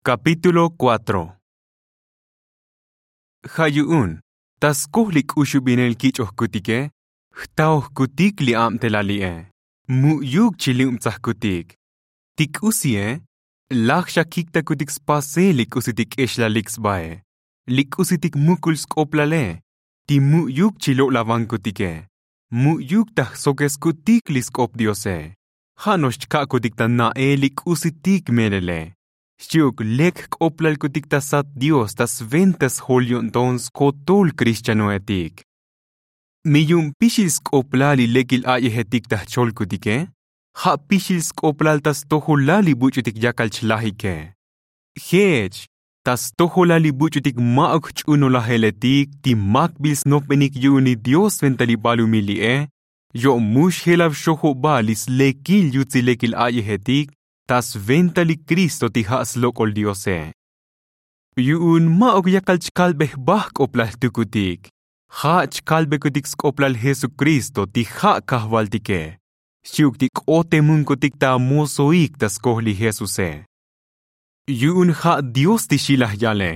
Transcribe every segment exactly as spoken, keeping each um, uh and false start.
Kapítulo kuatro. Ja' yu'un ta skoj li k'uxubinel kich'ojkutike, jtaojkutik li abtelali'e. Mu'yuk chilubtsajkutik. Ti k'usie laj xa kiktakutik spasel li k'usitik k'exlalik sbae, li k'usitik mukul sk'oplale, ti mu'yuk chilo'lavankutike. Mu'yuk ta jsokeskutik li sk'op diose. Ja' no'ox chka'kutik ta na'el li k'usitik melele. Xchi'uk lek jk'oplalkutik ta sat dios ta sventa sjol yo'nton skotol krixchanoetik. Mi yu'un pixil sk'oplal li lekil a'yejetik ta jcholkutike, ja' pixil sk'oplal ta stojolal li buch'utik yakal chlajike. Jech ta stojolal li buch'utik ma'uk jch'unolajeletik ti makbil snopbenik yu'un li dios sventa li balumil li'e, yo'mux jelav xojoba li slekil yutsil lekil a'yejetik ta sventa li kristo ti ja' slok'ol diose. Yu'un ma'uk yakal chkalbe jba jk'oplal jtukutik. Ja' chkalbekutik sk'oplal jesukristo ti ja' kajvaltike, xchi'uk ti k'otemunkutik ta amosoik ta skoj li jesuse. Yu'un ja' dios ti xi laj yale.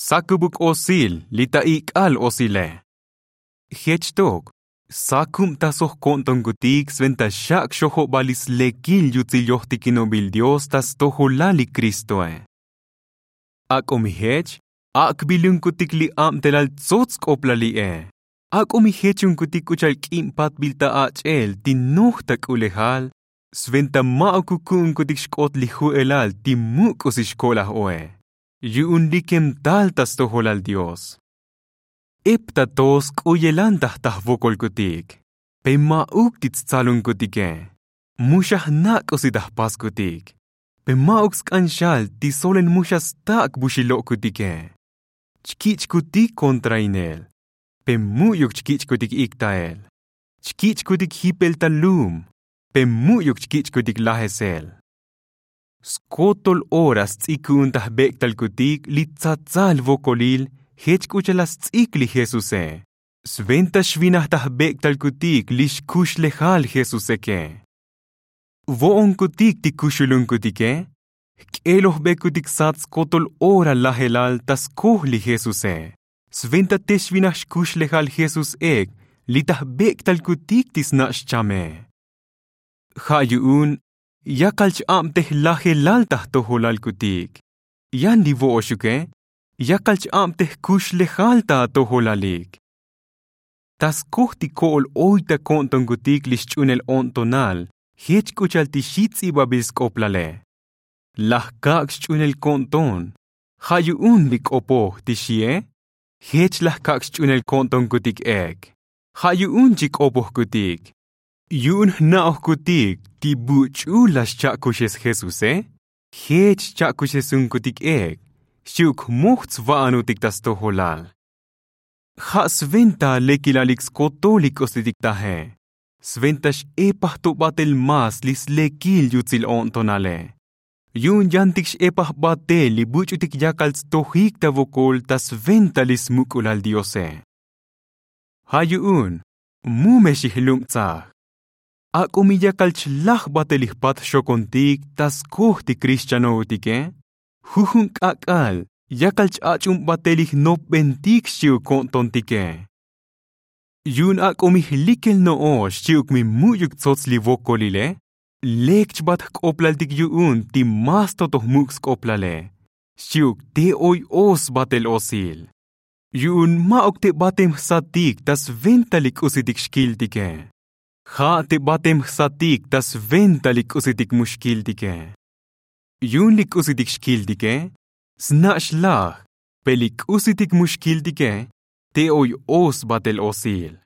Sakubuk osil li ta ik'al osile. Jech tok sakubtasoj ko'ntonkutik sventa xak' xojoba li slekil yutsil yojtikinobil dios ta stojolal li kristoe. Ak'o mi jech ak'bilunkutik li abtelal tsots sk'oplal li'e. Ak'o mi jechunkutik k'u cha'al k'ib patbil ta ach'el ti noj ta k'ulejal, sventa ma'uk kuku'unkutik xk'ot li ju'elal ti muk' k'usi xko'laj oe, yu'un likem tal ta stojolal dios. Ep ta to sk'uyelan ta jta jvokolkutik, pe ma'uk ti tstsalonkutike. Mu xa jna' k'usi ta jpaskutik, pe ma'uk sk'an xal ti solel mu xa stak' vuxil lo'kutike. Chkich'kutik kontrainel, pe mu'yuk chkich'kutik ikta'el. Chkich'kutik jipel ta lum, pe mu'yuk chkich'kutik lajesel. Skotol ora sts'ik ku'un ta jbek'talkutik li tsatsal vokolil jech k'u cha'al la sts'ik li jesuse. Sventa xvinaj ta jbek'talkutik li xkuxlejal jesuseke. Vo'onkutik ti kuxulunkutike, jk'elojbekutik sat skotol ora lajelal ta skoj li jesuse. Sventa te xvinaj xkuxlejal jesús ek li ta jbek'talkutik ti sna' xchame. Ja' yu'un yakal ch-abtej lajelal ta jtojolalkutik. Yan li vo'oxuke yakal ch-abtej kuxlejal ta atojolalik. Ta skoj ti ko'ol oy ta ko'ntonkutik li xch'unel o'ntonal jech k'u cha'al ti xi ts'ibabil sk'oplale. Laj kak' xch'unel ko'nton. Ja' yu'un li k'opoj ti xie, jech laj kak' xch'unel ko'ntonkutik ek. Ja' yu'un chi k'opojkutik. Yu'un jna'ojkutik ti buch'ul la xcha'kuxes jesuse, jech xcha'kuxesunkutik ek xchi'uk jmoj tsva'anutik ta stojolal. Ja' sventa lekilalik skotol li k'usitik taje. Sventa x'epaj to batel más li slekil yutsil o'ntonale. Yu'un yantik x'epaj batel li buch'utik yakal tstojik ta vokol ta sventa li smuk'ulal diose. Ja' yu'un mu me xijlubtsaj. Ak'o mi yakal chlaj batel li jpat xokontik ta skoj ti krixchanoutike, jujun k'ak'al yakal ch-ach'ub batel li jnopbentik xchi'uk ko'ntontike. Yu'un ak'o mi jlikel no'ox xchi'uk mi mu'yuk tsots li vokolile, lek chbat jk'oplaltik yu'un ti más to to jmuk' sk'oplale xchi'uk te oy o sbatel osil. Yu'un ma'uk te batem jsatik ta sventa li k'usitik xkiltike. Ja' te batem jsatik ta sventa li k'usitik mu xkiltike. Yu'un li k'usitik xkiltike sna' xlaj, pe li k'usitik mu xkiltike te oy o sbatel osil.